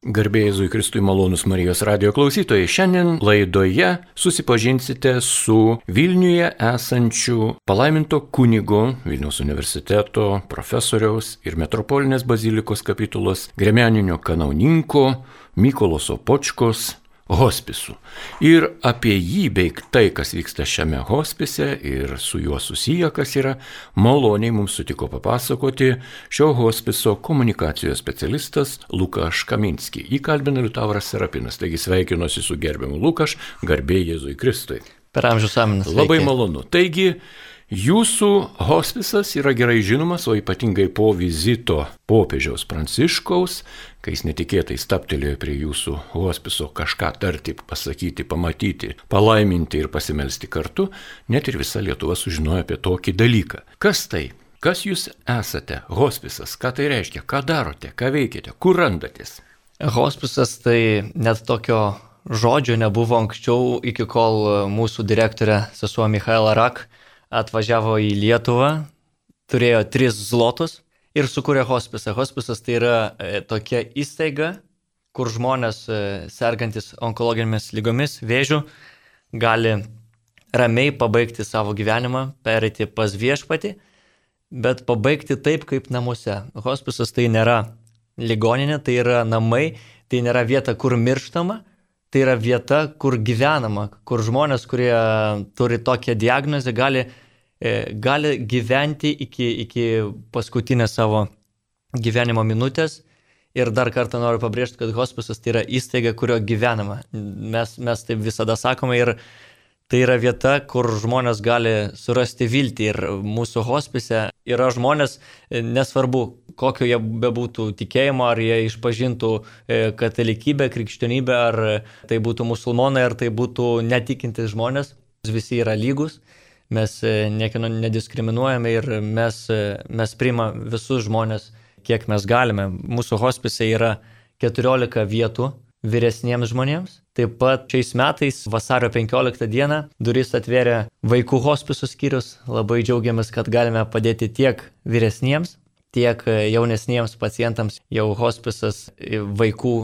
Garbė Jėzui Kristui, malonūs Marijos radijo klausytojai. Šiandien laidoje susipažinsite su Vilniuje esančiu palaiminto kunigo Vilniaus universiteto profesoriaus ir metropolinės bazilikos kapitulos gremianinio kanauninko Mykolo Sopočkos hospisu. Ir apie jį bei tai, kas vyksta šiame hospise ir su juo susiję, kas yra, maloniai mums sutiko papasakoti šio hospiso komunikacijos specialistas Lukaš Kaminski. Jį kalbina Liutauras Serapinas. Taigi sveikinuosi su gerbiamu Lukaš, garbė Jėzui Kristui. Per amžius aminas. Labai malonu. Taigi, jūsų hospisas yra gerai žinomas, o ypatingai po vizito popiežiaus Pranciškaus, kai jis netikėtai staptelėjo prie jūsų hospiso kažką tarti, pasakyti, pamatyti, palaiminti ir pasimelsti kartu, net ir visa Lietuva sužinojo apie tokį dalyką. Kas tai? Kas jūs esate? Hospisas. Ką tai reiškia? Ką darote? Ką veikiate? Kur randatės? Hospisas tai net tokio žodžio nebuvo anksčiau, iki kol mūsų direktorė sesuo Michaela Rak atvažiavo į Lietuvą, turėjo 3 zlotus ir sukūrė hospisą. Hospisas tai yra tokia įstaiga, kur žmonės sergantis onkologinėmis lygomis, vėžiu, gali ramiai pabaigti savo gyvenimą, pereiti pas viešpatį, bet pabaigti taip, kaip namuose. Hospisas tai nėra ligoninė, tai yra namai, tai nėra vieta, kur mirštama, tai yra vieta, kur gyvenama, kur žmonės, kurie turi tokią diagnozę, gali gyventi iki paskutinės savo gyvenimo minutės. Ir dar kartą noriu pabrėžti, kad hospisas tai yra įstaiga, kurio gyvenama. Mes taip visada sakome ir tai yra vieta, kur žmonės gali surasti viltį. Ir mūsų hospise yra žmonės, nesvarbu, kokio jie bebūtų tikėjimo, ar jie išpažintų katalikybę, krikščionybę, ar tai būtų musulmonai, ar tai būtų netikintis žmonės. Visi yra lygus, mes niekieno nediskriminuojame ir mes priimame visus žmonės, kiek mes galime. Mūsų hospise yra 14 vietų vyresniems žmonėms. Taip pat šiais metais vasario 15 dieną duris atvėrė vaikų hospiso skyrius. Labai džiaugiamės, kad galime padėti tiek vyresniems, tiek jaunesniems pacientams. Jau hospisas vaikų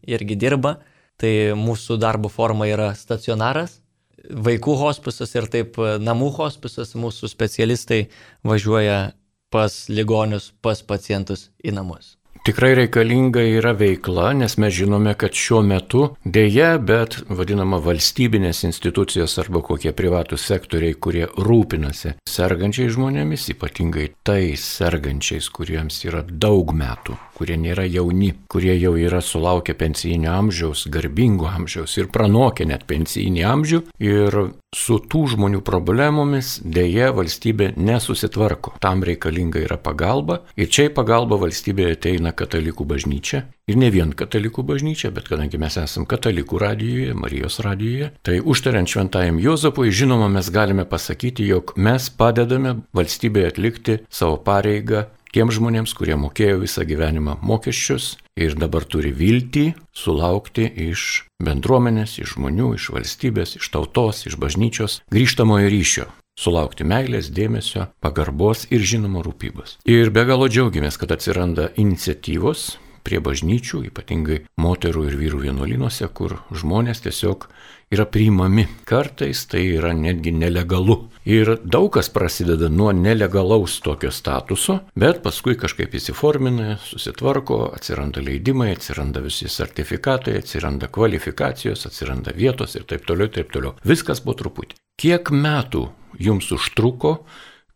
irgi dirba. Tai mūsų darbo forma yra stacionaras, vaikų hospisas ir taip namų hospisas. Mūsų specialistai važiuoja pas ligonius, pas pacientus į namus. Tikrai reikalinga yra veikla, nes mes žinome, kad šiuo metu dėja, bet vadinama valstybinės institucijos arba kokie privatūs sektoriai, kurie rūpinasi sergančiais žmonėmis, ypatingai tais sergančiais, kuriems yra daug metų, kurie nėra jauni, kurie jau yra sulaukę pensijinio amžiaus, garbingo amžiaus ir pranokę net pensijinį amžių. Ir su tų žmonių problemomis dėja valstybė nesusitvarko. Tam reikalinga yra pagalba ir čia į pagalbą valstybė ateina katalikų bažnyčia. Ir ne vien katalikų bažnyčia, bet kadangi mes esame katalikų radijoje, Marijos radijoje, tai užtariant šventajam Juozapui, žinoma, mes galime pasakyti, jog mes padedame valstybėje atlikti savo pareigą tiems žmonėms, kurie mokėjo visą gyvenimą mokesčius ir dabar turi viltį sulaukti iš bendruomenės, iš žmonių, iš valstybės, iš tautos, iš bažnyčios grįžtamojo ryšio. Sulaukti meilės, dėmesio, pagarbos ir žinoma rūpybos. Ir be galo džiaugiamės, kad atsiranda iniciatyvos prie bažnyčių, ypatingai moterų ir vyrų vienuolynuose, kur žmonės tiesiog yra priimami. Kartais tai yra netgi nelegalu. Ir daug kas prasideda nuo nelegalaus tokio statuso, bet paskui kažkaip įsiformina, susitvarko, atsiranda leidimai, atsiranda visi sertifikatai, atsiranda kvalifikacijos, atsiranda vietos ir taip toliau, taip toliau. Viskas po truputį. Kiek metų jums užtruko,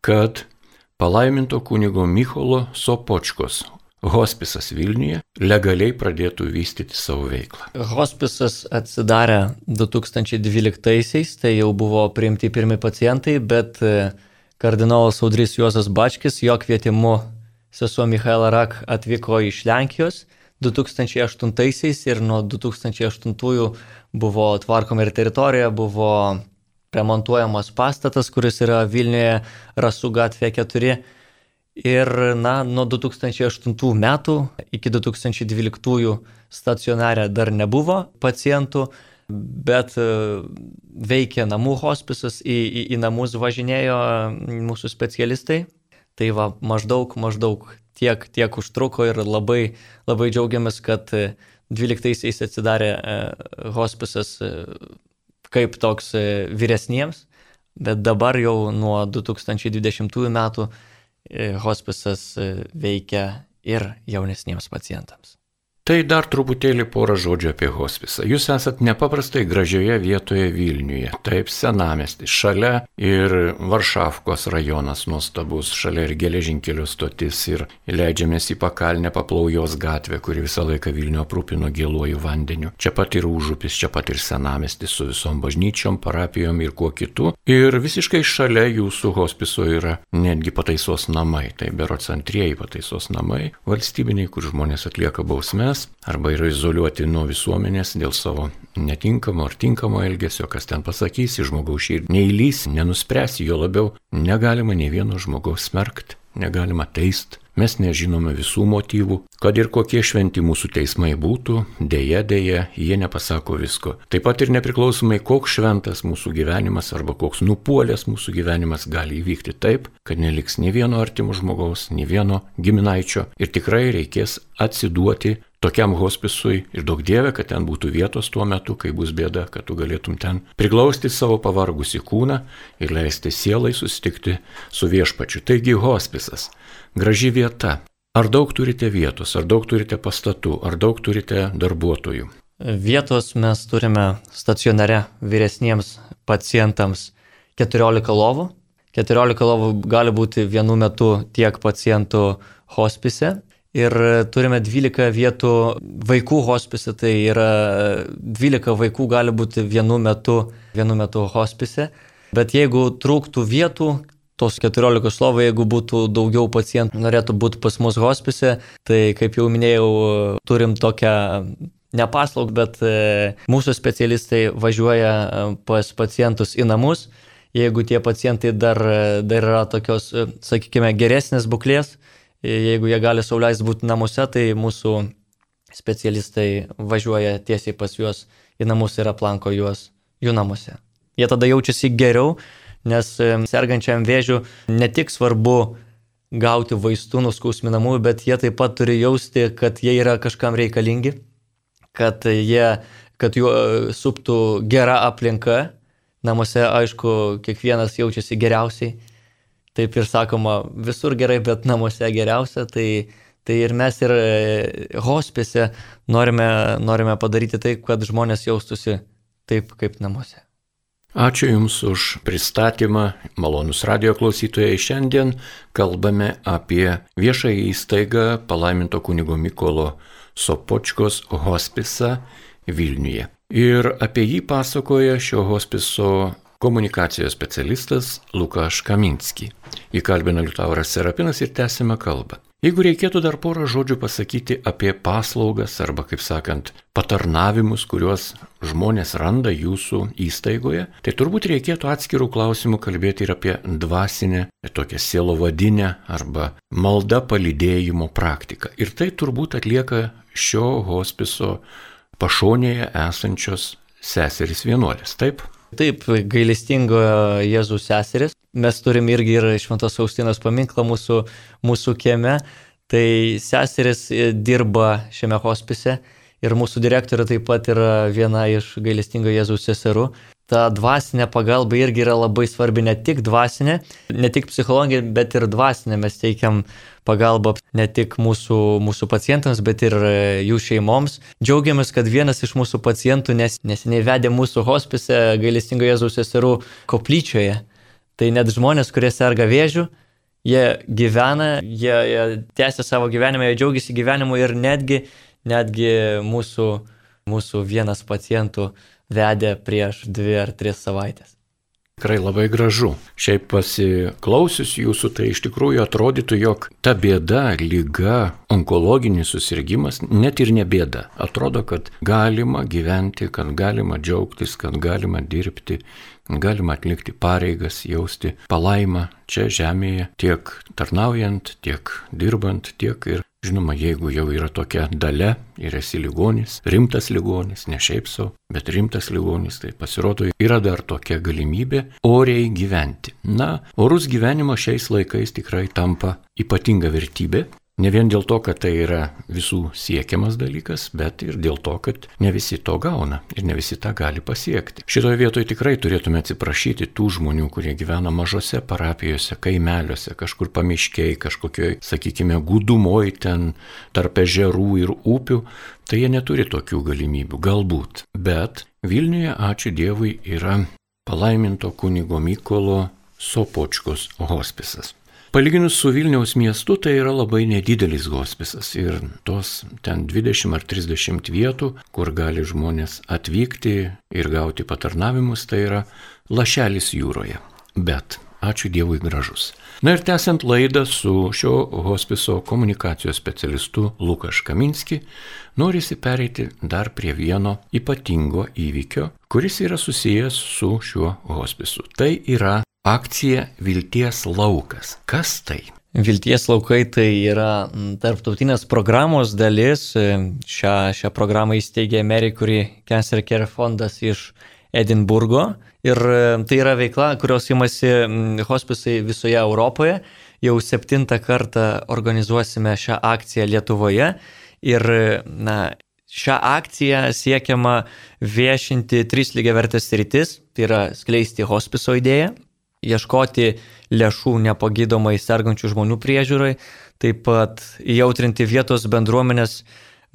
kad palaiminto kunigo Mykolo Sopočkos hospisas Vilniuje legaliai pradėtų vystyti savo veiklą? Hospisas atsidarė 2012-aisiais, tai jau buvo priimti pirmi pacientai, bet kardinolas Audrys Juozas Bačkis, jo kvietimu sesuo Michaela Rak atvyko iš Lenkijos 2008-aisiais ir nuo 2008-ųjų buvo tvarkoma ir teritorija, buvo remontuojamas pastatas, kuris yra Vilniuje Rasų gatvė 4. Ir nuo 2008 metų iki 2012 stacionare dar nebuvo pacientų, bet veikia namų hospisas, į namus važinėjo mūsų specialistai. Tai maždaug tiek užtruko ir labai džiaugiamės, kad 12-aisiais atsidarė hospisas kaip toks vyresniems, bet dabar jau nuo 2020 metų hospisas veikia ir jaunesniems pacientams. Tai dar truputėlį porą žodžių apie hospisą. Jūs esat nepaprastai gražioje vietoje Vilniuje, taip senamiestis, šalia ir Varšavkos rajonas nuostabus, šalia ir geležinkelio stotis ir leidžiamės į pakalnę Paplaujos gatvę, kuri visą laiką Vilnių aprūpino gėluoju vandeniu. Čia pat ir užupis, čia pat ir senamiestis su visom bažnyčiom, parapijom ir kuo kitu. Ir visiškai šalia jūsų hospiso yra netgi pataisos namai, tai berods antrieji pataisos namai, valstybiniai, kur žmonės atlieka bausmes arba yra izoliuoti nuo visuomenės dėl savo netinkamo ar tinkamo elgesio, kas ten pasakys, į žmogaus širdį neįlys, nenuspręs, jo labiau negalima nei vieno žmogaus smerkti, negalima teisti. Mes nežinome visų motyvų, kad ir kokie šventi mūsų teismai būtų, dėja, jie nepasako visko. Taip pat ir nepriklausomai, koks šventas mūsų gyvenimas arba koks nupuolęs mūsų gyvenimas gali įvykti taip, kad neliks nei vieno artimo žmogaus, nei vieno giminaičio ir tikrai reikės atsiduoti tokiam hospisui ir daug dieve, kad ten būtų vietos tuo metu, kai bus bėda, kad tu galėtum ten priglausti savo pavargusį kūną ir leisti sielai susitikti su viešpačiu. Taigi hospisas. Graži vieta. Ar daug turite vietos, ar daug turite pastatų, ar daug turite darbuotojų? Vietos mes turime stacionare vyresniems pacientams 14 lovų. 14 lovų gali būti vienu metu tiek pacientų hospise. Ir turime 12 vietų vaikų hospise, tai yra 12 vaikų gali būti vienu metu hospise. Bet jeigu trūktų vietų, tos 14 lovų, jeigu būtų daugiau pacientų norėtų būti pas mus hospise, tai kaip jau minėjau, turim tokią nepaslaugą, bet mūsų specialistai važiuoja pas pacientus į namus. Jeigu tie pacientai dar yra tokios, sakykime, geresnės būklės, jeigu jie gali sau leisti būti namuose, tai mūsų specialistai važiuoja tiesiai pas juos į namus ir aplanko juos jų namuose. Jie tada jaučiasi geriau, nes sergančiam vėžiu ne tik svarbu gauti vaistų nuo skausminamųjų, bet jie taip pat turi jausti, kad jie yra kažkam reikalingi, kad juo suptų gera aplinka. Namuose, aišku, kiekvienas jaučiasi geriausiai. Taip ir sakoma, visur gerai, bet namuose geriausia. Tai ir mes ir hospise norime padaryti taip, kad žmonės jaustųsi taip, kaip namuose. Ačiū Jums už pristatymą, malonus radijo klausytojai. Šiandien kalbame apie viešąją įstaigą palaiminto kunigo Mykolo Sopočkos hospisą Vilniuje. Ir apie jį pasakoja šio hospiso komunikacijos specialistas Lukaš Kaminski. Jį kalbina Liutauras Serapinas ir tęsime kalbą. Jeigu reikėtų dar porą žodžių pasakyti apie paslaugas arba, kaip sakant, patarnavimus, kuriuos žmonės randa jūsų įstaigoje, tai turbūt reikėtų atskirų klausimų kalbėti ir apie dvasinę, tokią sielovadinę arba malda palydėjimo praktiką. Ir tai turbūt atlieka šio hospiso pašonėje esančios seserys vienuolės, taip? Taip, gailestingojo Jėzaus seseris. Mes turim irgi ir Šventos Faustinos paminklą mūsų kieme. Tai seseris dirba šiame hospise ir mūsų direktorė taip pat yra viena iš gailestingojo Jėzaus seserų. Ta dvasinė pagalba irgi yra labai svarbi, ne tik dvasinė, ne tik psichologija, bet ir dvasinė. Mes teikiam pagalbą ne tik mūsų pacientams, bet ir jų šeimoms. Džiaugiamės, kad vienas iš mūsų pacientų neseniai vedė mūsų hospise gailestingojo Jėzaus seserų koplyčioje. Tai net žmonės, kurie serga vėžiu, jie gyvena, jie tęsia savo gyvenimą, jie džiaugiasi gyvenimu ir netgi mūsų vienas pacientų vedė prieš 2 ar 3 savaitės. Tikrai labai gražu. Šiaip pasiklausius jūsų, tai iš tikrųjų atrodytų, jog ta bėda, liga, onkologinis susirgimas net ir ne bėda. Atrodo, kad galima gyventi, kad galima džiaugtis, kad galima dirbti, galima atlikti pareigas, jausti palaimą čia žemėje, tiek tarnaujant, tiek dirbant, tiek ir žinoma, jeigu jau yra tokia dalia ir esi ligonis, rimtas ligonis, ne šiaip sau, bet rimtas ligonis, tai pasirodo, yra dar tokia galimybė oriai gyventi. Na, orus gyvenimo šiais laikais tikrai tampa ypatinga vertybė. Ne vien dėl to, kad tai yra visų siekiamas dalykas, bet ir dėl to, kad ne visi to gauna ir ne visi tą gali pasiekti. Šitoje vietoje tikrai turėtume atsiprašyti tų žmonių, kurie gyvena mažose parapijose, kaimeliuose, kažkur pamiškiai, kažkokioj, sakykime, gūdumoj ten tarp ežerų ir upių. Tai jie neturi tokių galimybių, galbūt. Bet Vilniuje, ačiū Dievui, yra palaiminto kunigo Mykolo Sopočkos hospisas. Palyginus su Vilniaus miestu, tai yra labai nedidelis hospisas ir tos ten 20 ar 30 vietų, kur gali žmonės atvykti ir gauti patarnavimus, tai yra lašelis jūroje. Bet ačiū Dievui gražus. Na ir tęsiant laidą su šio hospiso komunikacijos specialistu Lukaš Kaminski, norisi pereiti dar prie vieno ypatingo įvykio, kuris yra susijęs su šiuo hospisu. Tai yra akcija Vilties laukas. Kas tai? Vilties laukai tai yra tarptautinės programos dalis. Šią programą įsteigė Mary Curie Cancer Care fondas iš Edinburgo. Ir tai yra veikla, kurios imasi hospisai visoje Europoje. Jau 7 kartą organizuosime šią akciją Lietuvoje. Ir šią akciją siekiama viešinti 3 lygiavertės sritis. Tai yra skleisti hospiso idėją, ieškoti lėšų nepagydomai sergančių žmonių priežiūrai, taip pat įjautrinti vietos bendruomenės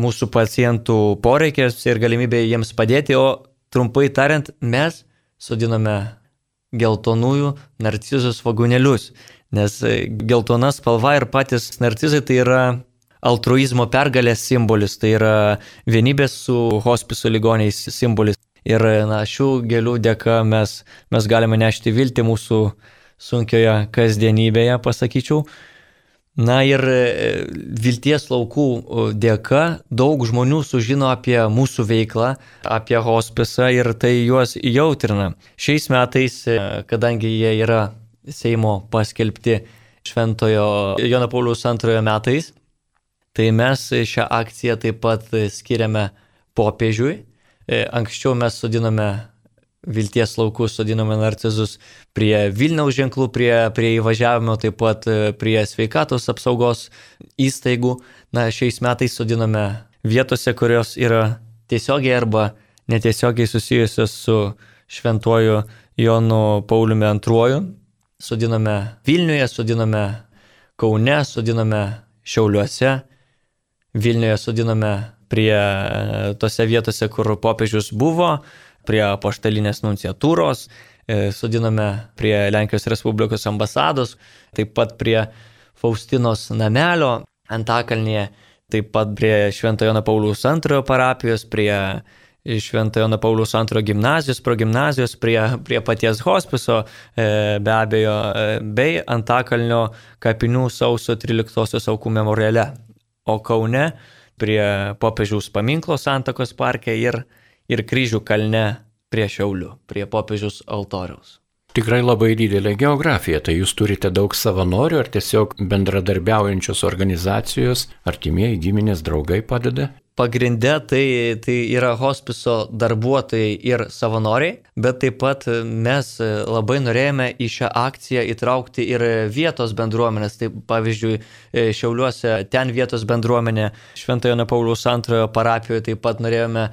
mūsų pacientų poreikės ir galimybę jiems padėti, o trumpai tariant, mes sodiname geltonųjų narcizų svogūnėlius, nes geltona spalva ir patys narcizai tai yra altruizmo pergalės simbolis, tai yra vienybės su hospiso ligoniais simbolis. Ir šių gėlių dėka mes galime nešti viltį mūsų sunkioje kasdienybėje, pasakyčiau. Ir Vilties laukų dėka daug žmonių sužino apie mūsų veiklą, apie hospisą ir tai juos įjautrina. Šiais metais, kadangi jie yra Seimo paskelbti Šventojo Jono Pauliaus II metais, tai mes šią akciją taip pat skiriame popiežiui. Anksčiau mes sodinome Vilties laukus, sodinome narcizus prie Vilniaus ženklų, prie įvažiavimo, taip pat prie sveikatos apsaugos įstaigų. Šiais metais sodinome vietose, kurios yra tiesiogiai arba netiesiogiai susijusios su Šventuoju Jonu Pauliumi II. Sodiname Vilniuje, sodiname Kaune, sodiname Šiauliuose. Vilniuje sodiname prie tose vietose, kur popiežius buvo, prie apaštalinės nunciatūros, sodiname prie Lenkijos Respublikos ambasados, taip pat prie Faustinos namelio Antakalnyje, taip pat prie Šventojo Jono Pauliaus II parapijos, prie Šventojo Jono Pauliaus II gimnazijos, progimnazijos, prie paties hospiso, be abejo, bei Antakalnio kapinių sausio 13-osios aukų memoriale. O Kaune prie popiežiaus paminklo Santakos parke ir Kryžių kalne prie Šiaulių, prie popiežiaus altoriaus. Tikrai labai didelė geografija, tai jūs turite daug savanorių ar tiesiog bendradarbiaujančios organizacijos, artimieji, giminės, draugai padeda? Pagrinde tai yra hospiso darbuotojai ir savanoriai, bet taip pat mes labai norėjome į šią akciją įtraukti ir vietos bendruomenės. Tai pavyzdžiui, Šiauliuose ten vietos bendruomenė, Šventojo Jono Pauliaus II parapijoje taip pat norėjome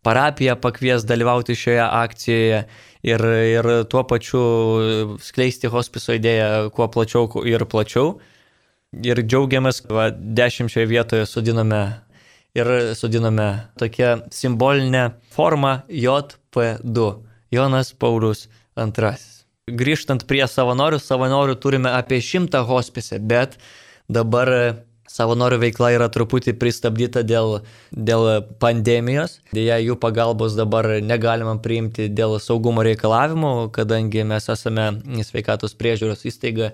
parapiją pakvies dalyvauti šioje akcijoje ir tuo pačiu skleisti hospiso idėją kuo plačiau ir plačiau. Ir džiaugiamės, 10 vietoje sodiname tokią simbolinę formą JP2, Jonas Paulius II. Grįžtant prie savanorių turime apie 100 hospise, bet dabar savanorių veikla yra truputį pristabdyta dėl pandemijos. Deja, jų pagalbos dabar negalima priimti dėl saugumo reikalavimų, kadangi mes esame sveikatos priežiūros įstaiga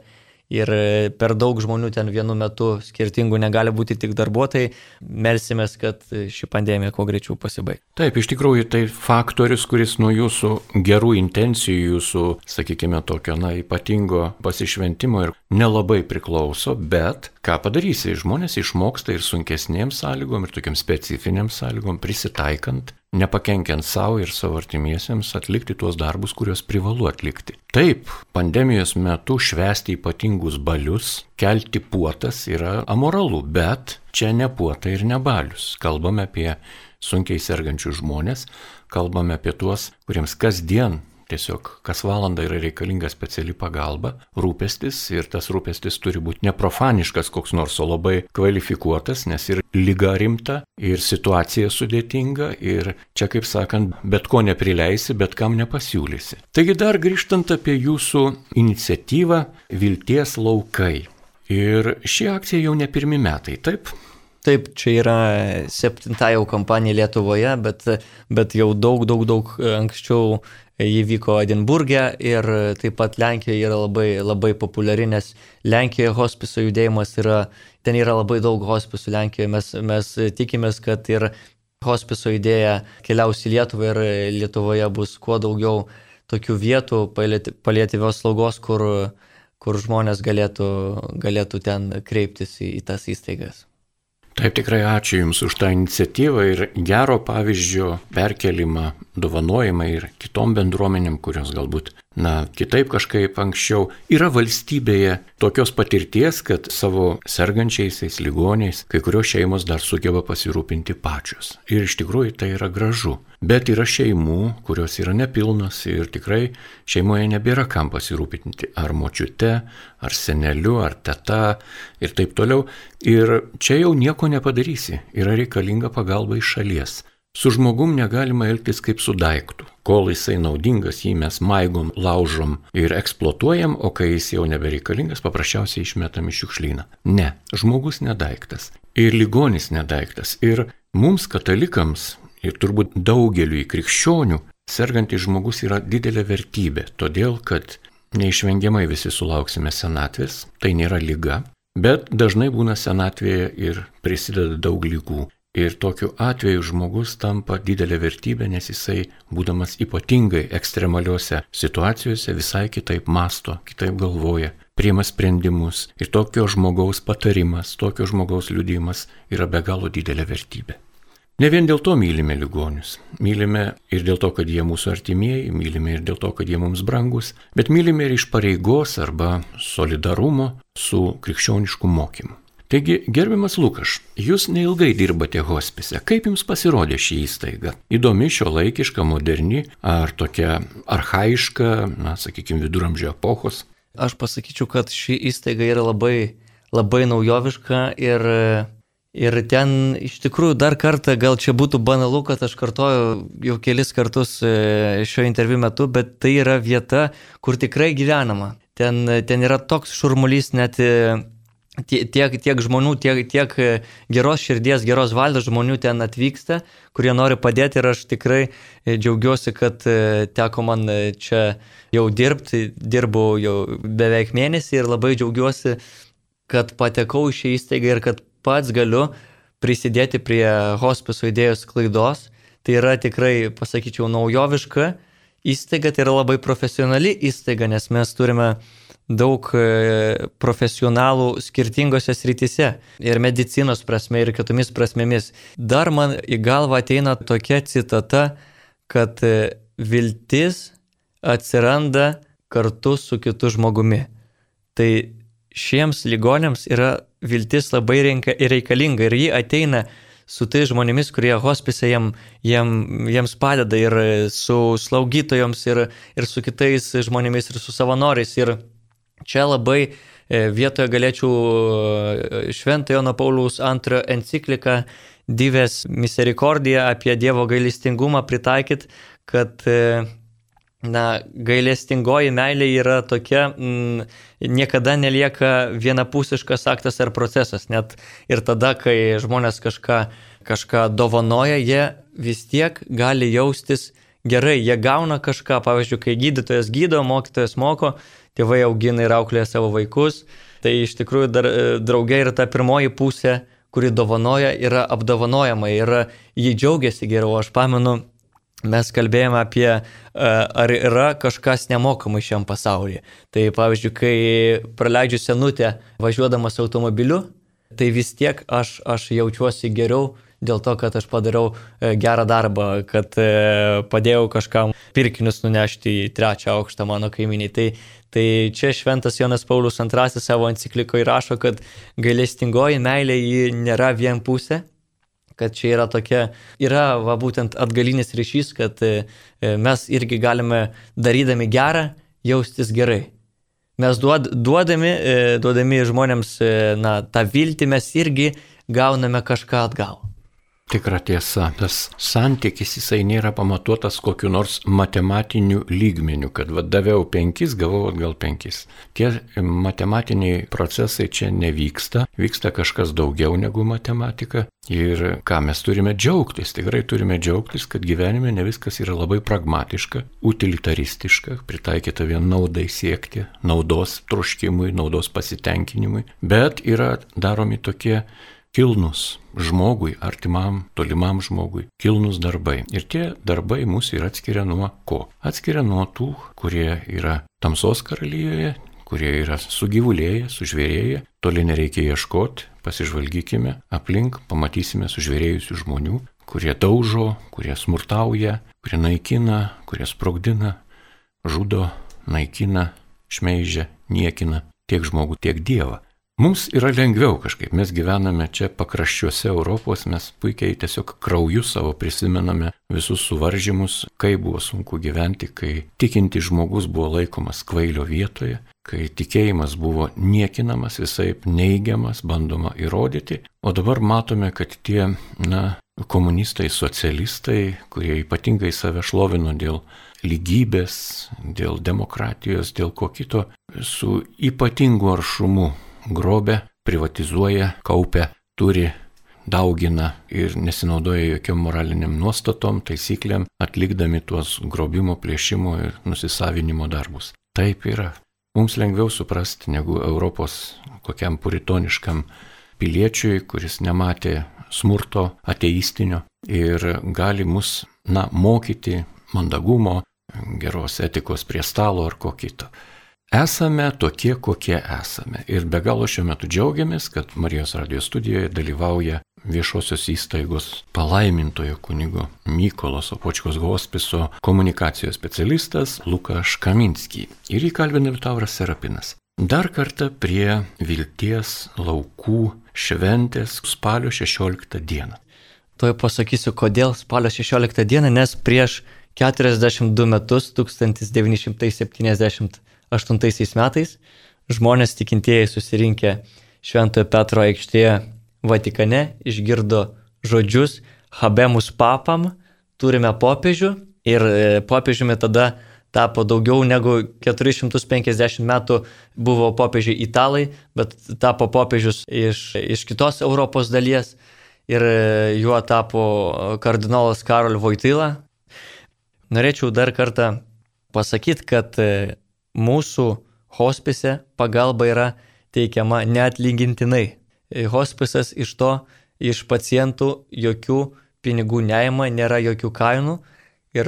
ir per daug žmonių ten vienu metu skirtingų negali būti tik darbuotojai. Melsimės, kad ši pandemija kuo greičiau pasibaigtų. Taip, iš tikrųjų tai faktorius, kuris nuo jūsų gerų intencijų, jūsų, sakykime, tokio ypatingo pasišventimo ir nelabai priklauso, bet ką padarysi, žmonės išmoksta ir sunkesnėms sąlygom, ir tokiam specifiniam sąlygom, prisitaikant, nepakenkiant savo ir savo artimiesiems atlikti tuos darbus, kuriuos privalu atlikti. Taip, pandemijos metu švęsti ypatingus balius, kelti puotas yra amoralu, bet čia ne puotai ir ne balius. Kalbame apie sunkiai sergančius žmonės, kalbame apie tuos, kuriems kasdien tiesiog kas valandą yra reikalinga speciali pagalba, rūpestis, ir tas rūpestis turi būti neprofaniškas koks nors, o labai kvalifikuotas, nes ir liga rimta, ir situacija sudėtinga, ir čia, kaip sakant, bet ko neprileisi, bet kam nepasiūlysi. Taigi dar grįžtant apie jūsų iniciatyvą Vilties laukai. Ir ši akcija jau ne pirmi metai, taip? Taip, čia yra 7 jau kampanija Lietuvoje, bet jau daug anksčiau jį vyko Edinburge ir taip pat Lenkijoje yra labai populiari, nes Lenkijoje hospiso judėjimas ten yra labai daug hospisų Lenkijoje. Mes tikimės, kad ir hospiso idėja keliaus į Lietuvą ir Lietuvoje bus kuo daugiau tokių vietų paliatyvios slaugos, kur žmonės galėtų ten kreiptis į tas įstaigas. Taip, tikrai ačiū Jums už tą iniciatyvą ir gero pavyzdžio perkelimą, dovanojimą ir kitom bendruomenėm, kurios galbūt, kitaip kažkaip anksčiau yra valstybėje tokios patirties, kad savo sergančiaisiais ligoniais kai kurios šeimos dar sugeba pasirūpinti pačios. Ir iš tikrųjų tai yra gražu. Bet yra šeimų, kurios yra nepilnos ir tikrai šeimoje nebėra kam pasirūpinti. Ar močiute, ar seneliu, ar teta ir taip toliau. Ir čia jau nieko nepadarysi. Yra reikalinga pagalba iš šalies. Su žmogum negalima elgtis kaip su daiktu. Kol jisai naudingas, jį mes maigom, laužom ir eksploatuojam, o kai jis jau nebereikalingas, paprasčiausiai išmetam į šiukšlyną. Ne, žmogus nedaiktas. Ir ligonis nedaiktas. Ir mums, katalikams, ir turbūt daugeliui krikščionių, sergantis žmogus yra didelė vertybė, todėl kad neišvengiamai visi sulauksime senatvės, tai nėra liga, bet dažnai būna senatvėje ir prisideda daug ligų. Ir tokiu atveju žmogus tampa didelė vertybė, nes jisai, būdamas ypatingai ekstremaliuose situacijose, visai kitaip masto, kitaip galvoja, priima sprendimus. Ir tokio žmogaus patarimas, tokio žmogaus liudijimas yra be galo didelė vertybė. Ne vien dėl to mylime ligonius. Mylime ir dėl to, kad jie mūsų artimieji, mylime ir dėl to, kad jie mums brangus, bet mylime ir iš pareigos arba solidarumo su krikščionišku mokymu. Taigi, gerbiamas Lukaš, jūs neilgai dirbate hospise. Kaip jums pasirodė ši įstaiga? Įdomi, šiuolaikiška, moderni, ar tokia archaiška, sakykime, viduramžio epochos? Aš pasakyčiau, kad ši įstaiga yra labai naujoviška ir ten iš tikrųjų dar kartą, gal čia būtų banalu, kad aš kartoju jau kelis kartus šio interviu metu, bet tai yra vieta, kur tikrai gyvenama. Ten yra toks šurmulys, net tiek žmonių, tiek geros širdies, geros valios žmonių ten atvyksta, kurie nori padėti ir aš tikrai džiaugiuosi, kad teko man čia jau dirbti, dirbau jau beveik mėnesį ir labai džiaugiuosi, kad patekau į šią įstaigą ir kad pats galiu prisidėti prie hospiso idėjos sklaidos. Tai yra tikrai, pasakyčiau, naujoviška įstaiga, tai yra labai profesionali įstaiga, nes mes turime daug profesionalų skirtingose srityse ir medicinos prasme ir kitomis prasmėmis. Dar man į galvą ateina tokia citata, kad viltis atsiranda kartu su kitu žmogumi. Tai šiems ligoniams yra viltis labai reikalinga ir ji ateina su tai žmonėmis, kurie hospise jiems padeda ir su slaugytojoms ir su kitais žmonėmis ir su savanoriais. Ir čia labai vietoje galėčiau Šventojo Jono Pauliaus II encikliką Dives Misericordia apie Dievo gailestingumą pritaikyti, kad gailestingoji meilė yra tokia, niekada nelieka vienapusiškas aktas ar procesas. Net ir tada, kai žmonės kažką dovanoja, jie vis tiek gali jaustis gerai. Jie gauna kažką, pavyzdžiui, kai gydytojas gydo, mokytojas moko, tėvai augina ir auklėja savo vaikus. Tai iš tikrųjų dar drauge yra ta pirmoji pusė, kuri dovanoja, yra apdovanojama ir jį džiaugiasi geriau. Aš pamenu, mes kalbėjome apie, ar yra kažkas nemokamai šiam pasaulyje. Tai pavyzdžiui, kai praleidžiu senutę važiuodamas automobiliu, tai vis tiek aš jaučiuosi geriau dėl to, kad aš padariau gerą darbą, kad padėjau kažkam pirkinius nunešti į 3. aukštą mano kaiminiai. Tai čia šventas Jonas Paulius II savo enciklikoje rašo, kad gailestingoji meilė ji nėra vienpusė, kad čia yra būtent atgalinis ryšys, kad mes irgi galime darydami gerą jaustis gerai. Mes duodami žmonėms tą viltį, mes irgi gauname kažką atgal. Tikra tiesa, tas santykis jisai nėra pamatuotas kokiu nors matematiniu lygmeniu, kad daviau 5, gavau atgal 5. Tie matematiniai procesai čia nevyksta, vyksta kažkas daugiau negu matematika. Ir ką mes turime džiaugtis, tikrai turime džiaugtis, kad gyvenime ne viskas yra labai pragmatiška, utilitaristiška, pritaikyta vien naudai siekti, naudos troškimui, naudos pasitenkinimui, bet yra daromi tokie kilnus žmogui, artimam, tolimam žmogui, kilnus darbai. Ir tie darbai mus ir atskiria nuo ko? Atskiria nuo tų, kurie yra tamsos karalystėje, kurie yra sugyvulėję, sužvėrėję, toli nereikia ieškoti, pasižvalgykime aplink, pamatysime sužvėrėjusių žmonių, kurie daužo, kurie smurtauja, kurie naikina, kurie sprogdina, žudo, naikina, šmeižia, niekina tiek žmogų, tiek Dievą. Mums yra lengviau kažkaip, mes gyvename čia pakraščiuose Europos, mes puikiai tiesiog krauju savo prisimename visus suvaržymus, kai buvo sunku gyventi, kai tikinti žmogus buvo laikomas kvailio vietoje, kai tikėjimas buvo niekinamas, visaip neigiamas, bandoma įrodyti, o dabar matome, kad tie, komunistai, socialistai, kurie ypatingai save šlovino dėl lygybės, dėl demokratijos, dėl ko kito, su ypatingu aršumu grobia, privatizuoja, kaupia, turi, daugina ir nesinaudoja jokiom moraliniam nuostatom, taisyklėm, atlikdami tuos grobimo, plėšimo ir nusisavinimo darbus. Taip yra. Mums lengviau suprasti negu Europos kokiam puritoniškam piliečiui, kuris nematė smurto ateistinio ir gali mus, mokyti mandagumo, geros etikos prie stalo ar ko kito. Esame tokie, kokie esame. Ir be galo šiuo metu džiaugiamės, kad Marijos radijo studijoje dalyvauja viešosios įstaigos palaimintojo kunigo Mykolo Sopočkos hospiso komunikacijos specialistas Lukas Kaminski. Ir jį kalbina Liutauras Serapinas. Dar kartą prie Vilties laukų šventės spalio 16 dieną. Tuoj pasakysiu, kodėl spalio 16 dieną, nes prieš 42 metus, 1978 metais, žmonės tikintieji susirinkę Šventojo Petro aikštėje Vatikane išgirdo žodžius Habemus Papam, turime popiežių, ir popiežiumi tada tapo daugiau negu 450 metų buvo popiežiai italai, bet tapo popiežius iš kitos Europos dalies ir juo tapo kardinolas Karol Wojtyla. Norėčiau dar kartą pasakyti, kad mūsų hospise pagalba yra teikiama neatlygintinai. Hospisas iš pacientų jokių pinigų neima, nėra jokių kainų ir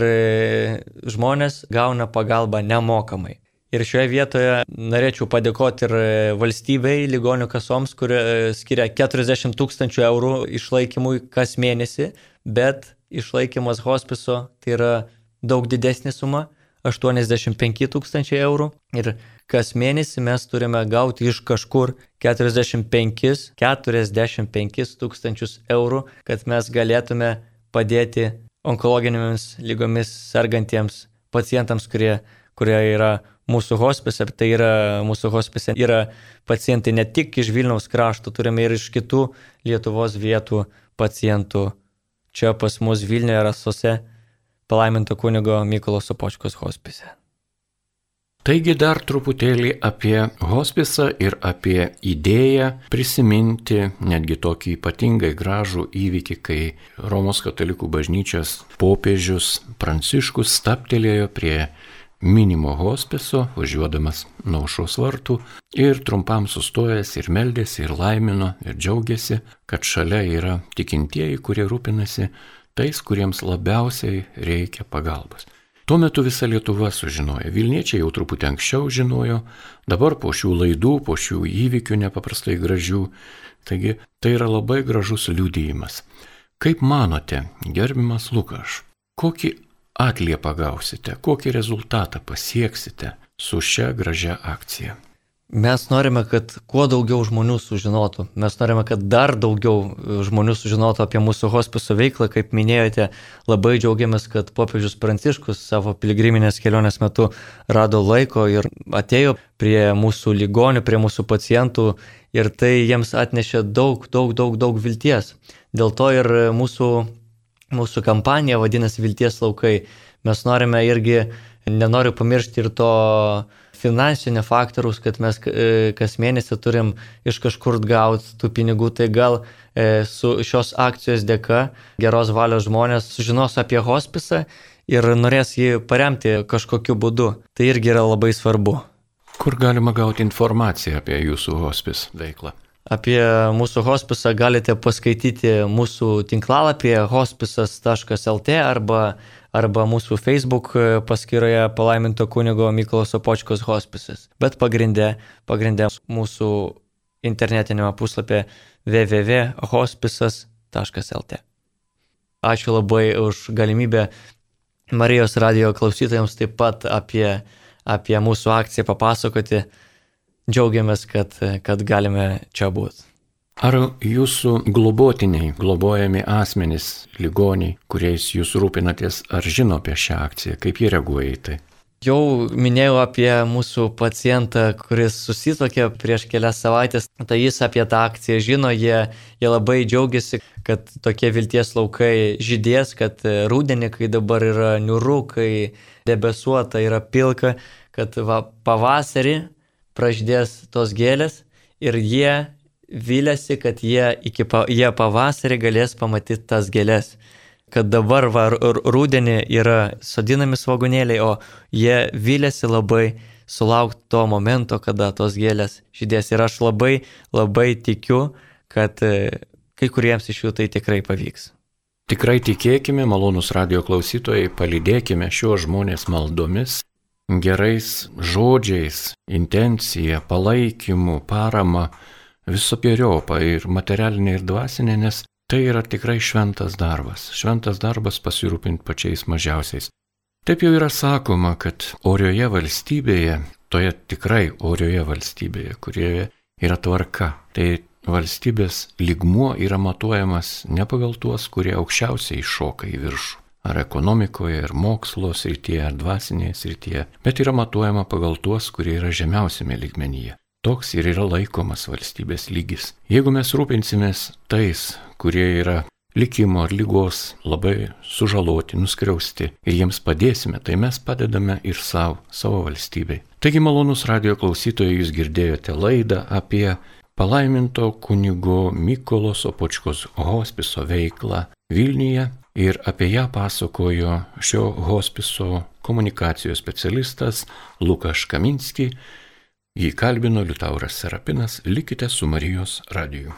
žmonės gauna pagalbą nemokamai. Ir šioje vietoje norėčiau padėkoti ir valstybei, ligonių kasoms, kurie skiria 40 000 eurų išlaikymui kas mėnesį, bet išlaikymas hospiso tai yra daug didesnė suma, 85 000 eurų. Ir kas mėnesį mes turime gauti iš kažkur 45 000 eurų, kad mes galėtume padėti onkologinėmis lygomis sergantiems pacientams, kurie yra mūsų hospise. Tai yra mūsų hospise yra pacientai ne tik iš Vilniaus krašto, turime ir iš kitų Lietuvos vietų pacientų. Čia pas mus Vilniuje Rasose palaiminto kunigo Mykolo Sopočkos hospise. Taigi dar truputėlį apie hospisą ir apie idėją prisiminti netgi tokį ypatingai gražų įvykį, kai Romos katalikų bažnyčios popiežius Pranciškus stabtelėjo prie minimo hospiso, važiuodamas nuo aušros vartų ir trumpam sustojęs ir meldėsi, ir laimino, ir džiaugiasi, kad šalia yra tikintieji, kurie rūpinasi tais, kuriems labiausiai reikia pagalbos. Tuo metu visa Lietuva sužinojo, Vilniečiai jau truputį anksčiau žinojo, dabar po šių laidų, po šių įvykių nepaprastai gražių, taigi tai yra labai gražus liudijimas. Kaip manote, gerbiamas Lukaš, kokį atliepą gausite, kokį rezultatą pasieksite su šia gražia akcija? Mes norime, kad kuo daugiau žmonių sužinotų. Mes norime, kad dar daugiau žmonių sužinotų apie mūsų hospiso veiklą. Kaip minėjote, labai džiaugiamės, kad popiežius Pranciškus savo piligriminės kelionės metu rado laiko ir atėjo prie mūsų ligonių, prie mūsų pacientų ir tai jiems atnešė daug vilties. Dėl to ir mūsų kampanija vadinasi Vilties laukai. Mes norime irgi, nenoriu pamiršti ir to finansinio faktoriaus, kad mes kas mėnesį turim iš kažkur gauti tų pinigų, tai gal su šios akcijos dėka geros valios žmonės sužinos apie hospisą ir norės jį paremti kažkokiu būdu. Tai irgi yra labai svarbu. Kur galima gauti informaciją apie jūsų hospis veiklą? Apie mūsų hospisą galite paskaityti mūsų tinklalapyje hospisas.lt arba mūsų Facebook paskyroje palaiminto kunigo Mykolo Sopočkos hospisas. Bet pagrindė mūsų internetinėme puslapyje www.hospisas.lt. Ačiū labai už galimybę Marijos radijo klausytojams taip pat apie mūsų akciją papasakoti. Džiaugiamės, kad galime čia būti. Ar jūsų globotiniai, globojami asmenys, ligoniai, kuriais jūs rūpinatės, ar žino apie šią akciją, kaip jie reaguoja į tai? Jau minėjau apie mūsų pacientą, kuris susituokė prieš kelias savaitės, tai jis apie tą akciją žino, jie labai džiaugiasi, kad tokie vilties laukai žydės, kad rudenį, kai dabar yra niūru, kai debesuota, yra pilka, kad pavasarį pražydės tos gėlės ir jie viliasi, kad jie pavasarį galės pamatyti tas gėlės. Kad dabar rudenį yra sodinami svogūnėliai, o jie viliasi labai sulaukti to momento, kada tos gėlės žydės. Ir aš labai tikiu, kad kai kuriems iš jų tai tikrai pavyks. Tikrai tikėkime, malonūs radijo klausytojai, palydėkime šiuos žmonės maldomis, gerais žodžiais, intencija, palaikymu, parama, visokiojopą ir materialinė ir dvasinė, nes tai yra tikrai šventas darbas pasirūpinti pačiais mažiausiais. Taip jau yra sakoma, kad orioje valstybėje, toje tikrai orioje valstybėje, kurioje yra tvarka, tai valstybės lygmuo yra matuojamas ne pagal tuos, kurie aukščiausiai šoka į viršų. Ar ekonomikoje, ar mokslo srityje, ar dvasinėje srityje, bet yra matuojama pagal tuos, kurie yra žemiausiame lygmenyje. Toks ir yra laikomas valstybės lygis. Jeigu mes rūpinsimės tais, kurie yra likimo ar lygos labai sužaloti, nuskriausti ir jiems padėsime, tai mes padedame ir savo valstybei. Taigi, malonūs radijo klausytojai, jūs girdėjote laidą apie palaiminto kunigo Mykolo Sopočkos hospiso veiklą Vilniuje. Ir apie ją pasakojo šio hospiso komunikacijos specialistas Lukaš Kaminski. Jį kalbino Liutauras Serapinas. Likite su Marijos radiju.